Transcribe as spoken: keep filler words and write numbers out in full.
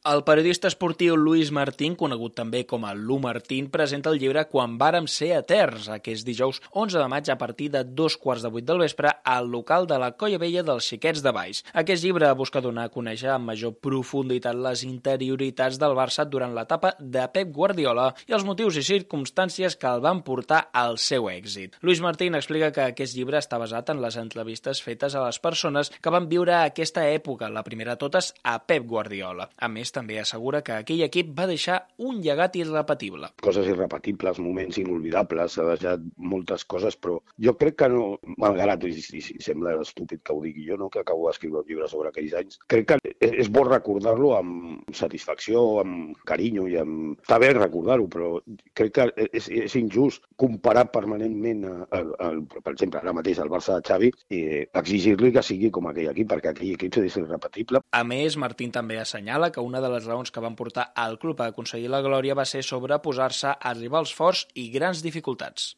El periodista esportiu Luis Martín, conegut també com a Lu Martín, presenta el llibre Quan vàrem ser eterns, aquest dijous onze de maig a partir de dos quarts de vuit del vespre al local de la Colla Vella dels Xiquets de Valls. Aquest llibre busca donar a conèixer amb major profunditat les interioritats del Barça durant l'etapa de Pep Guardiola i els motius i circumstàncies que el van portar al seu èxit. Luis Martín explica que aquest llibre està basat en les entrevistes fetes a les persones que van viure aquesta època, la primera de totes a Pep Guardiola. A més, també assegura que aquell equip va deixar un llegat irrepetible. Coses irrepetibles, moments inolvidables, ha deixat moltes coses, però jo crec que no, malgrat, i, i, i sembla estúpid que ho digui jo, no? Que acabo d'escriure un llibre sobre aquells anys, crec que és bo recordar-lo amb satisfacció, amb carinyo, i amb... Està bé recordar-ho, però crec que és, és injust comparar permanentment, a, a, a, per exemple, ara mateix el Barça de Xavi, i exigir-li que sigui com aquell equip, perquè aquell equip és irrepetible. A més, Martín també assenyala que una de les raons que van portar al club a aconseguir la glòria va ser sobreposar-se a rivals forts i grans dificultats.